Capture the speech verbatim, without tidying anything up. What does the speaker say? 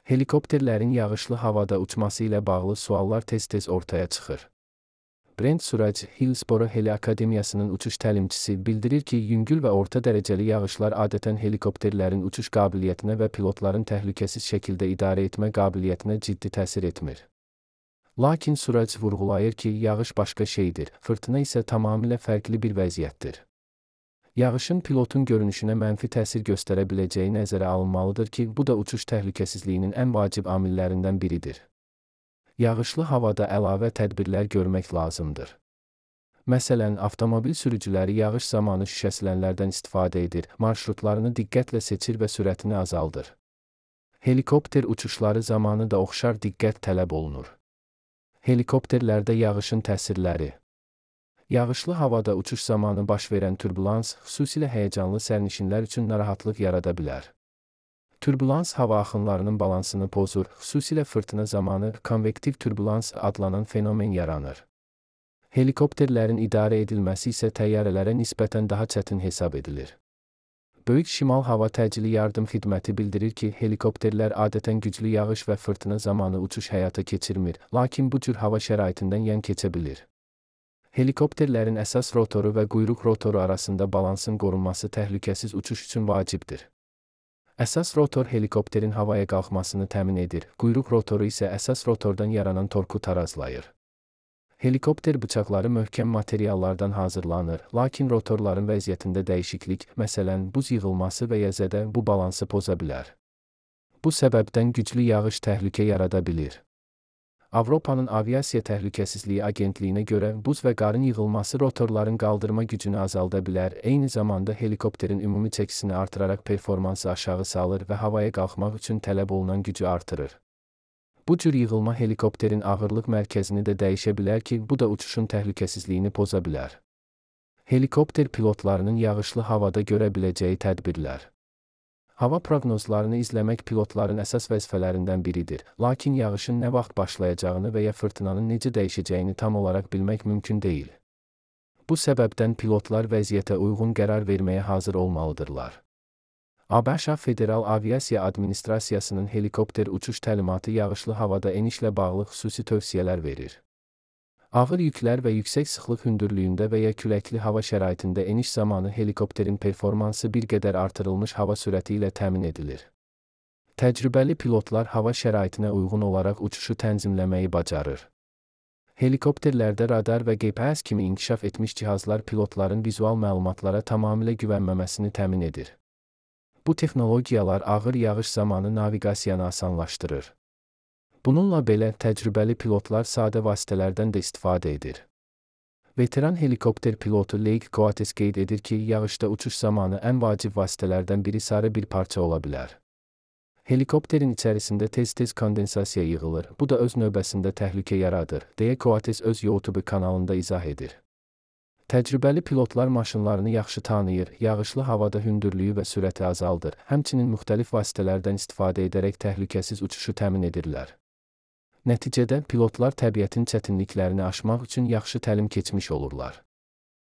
Helikopterlərin yağışlı havada uçması ilə bağlı suallar tez-tez ortaya çıxır. Brent Suraj, Hillsboro Heli Akademiyasının uçuş təlimçisi bildirir ki, yüngül və orta dərəcəli yağışlar adətən helikopterlərin uçuş qabiliyyətinə və pilotların təhlükəsiz şəkildə idarə etmə qabiliyyətinə ciddi təsir etmir. Lakin Suraj vurğulayır ki, yağış başqa şeydir, fırtına isə tamamilə fərqli bir vəziyyətdir. Yağışın pilotun görünüşünə mənfi təsir göstərə biləcəyi nəzərə alınmalıdır ki, bu da uçuş təhlükəsizliyinin ən vacib amillərindən biridir. Yağışlı havada əlavə tədbirlər görmək lazımdır. Məsələn, avtomobil sürücüləri yağış zamanı şüşəsilənlərdən istifadə edir, marşrutlarını diqqətlə seçir və sürətini azaldır. Helikopter uçuşları zamanı da oxşar diqqət tələb olunur. Helikopterlərdə yağışın təsirləri. Yağışlı havada uçuş zamanı baş verən turbulans, xüsusilə həyəcanlı sərnişinlər üçün narahatlıq yarada bilər. Turbulans hava axınlarının balansını pozur, xüsusilə fırtına zamanı konvektiv turbulans adlanan fenomen yaranır. Helikopterlərin idarə edilməsi isə təyyarələrə nisbətən daha çətin hesab edilir. Böyük Şimal Hava Təcili Yardım Xidməti bildirir ki, helikopterlər adətən güclü yağış və fırtına zamanı uçuş həyata keçirmir, lakin bu cür hava şəraitindən yan keçə bilir. Helikopterlərin əsas rotoru və quyruq rotoru arasında balansın qorunması təhlükəsiz uçuş üçün vacibdir. Əsas rotor helikopterin havaya qalxmasını təmin edir, quyruq rotoru isə əsas rotordan yaranan torku tarazlayır. Helikopter bıçaqları möhkəm materiallardan hazırlanır, lakin rotorların vəziyyətində dəyişiklik, məsələn, buz yığılması və ya zədə bu balansı poza bilər. Bu səbəbdən güclü yağış təhlükə yarada bilir. Avropanın Aviasiya Təhlükəsizliyi Agentliyinə görə buz və qarın yığılması rotorların qaldırma gücünü azalda bilər, eyni zamanda helikopterin ümumi çəkisini artıraraq performansı aşağı salır və havaya qalxmaq üçün tələb olunan gücü artırır. Bu cür yığılma helikopterin ağırlıq mərkəzini də dəyişə bilər ki, bu da uçuşun təhlükəsizliyini poza bilər. Helikopter pilotlarının yağışlı havada görə biləcəyi tədbirlər. Hava proqnozlarını izləmək pilotların əsas vəzifələrindən biridir, lakin yağışın nə vaxt başlayacağını və ya fırtınanın necə dəyişəcəyini tam olaraq bilmək mümkün deyil. Bu səbəbdən pilotlar vəziyyətə uyğun qərar verməyə hazır olmalıdırlar. ABŞ Federal Aviasiya Administrasiyasının helikopter uçuş təlimatı yağışlı havada enişlə bağlı xüsusi tövsiyələr verir. Ağır yüklər və yüksək sıxlıq hündürlüyündə və ya küləkli hava şəraitində eniş zamanı helikopterin performansı bir qədər artırılmış hava sürəti ilə təmin edilir. Təcrübəli pilotlar hava şəraitinə uyğun olaraq uçuşu tənzimləməyi bacarır. Helikopterlərdə radar və G P S kimi inkişaf etmiş cihazlar pilotların vizual məlumatlara tamamilə güvənməməsini təmin edir. Bu texnologiyalar ağır yağış zamanı naviqasiyanı asanlaşdırır. Bununla belə, təcrübəli pilotlar sadə vasitələrdən də istifadə edir. Veteran helikopter pilotu Lake Coates qeyd edir ki, yağışda uçuş zamanı ən vacib vasitələrdən biri sarı bir parça ola bilər. Helikopterin içərisində tez-tez kondensasiya yığılır, bu da öz növbəsində təhlükə yaradır, deyə Coates öz YouTube kanalında izah edir. Təcrübəli pilotlar maşınlarını yaxşı tanıyır, yağışlı havada hündürlüyü və sürəti azaldır, həmçinin müxtəlif vasitələrdən istifadə edərək təhlükəsiz uçuşu təmin edirlər. Nəticədə pilotlar təbiətin çətinliklərini aşmaq üçün yaxşı təlim keçmiş olurlar.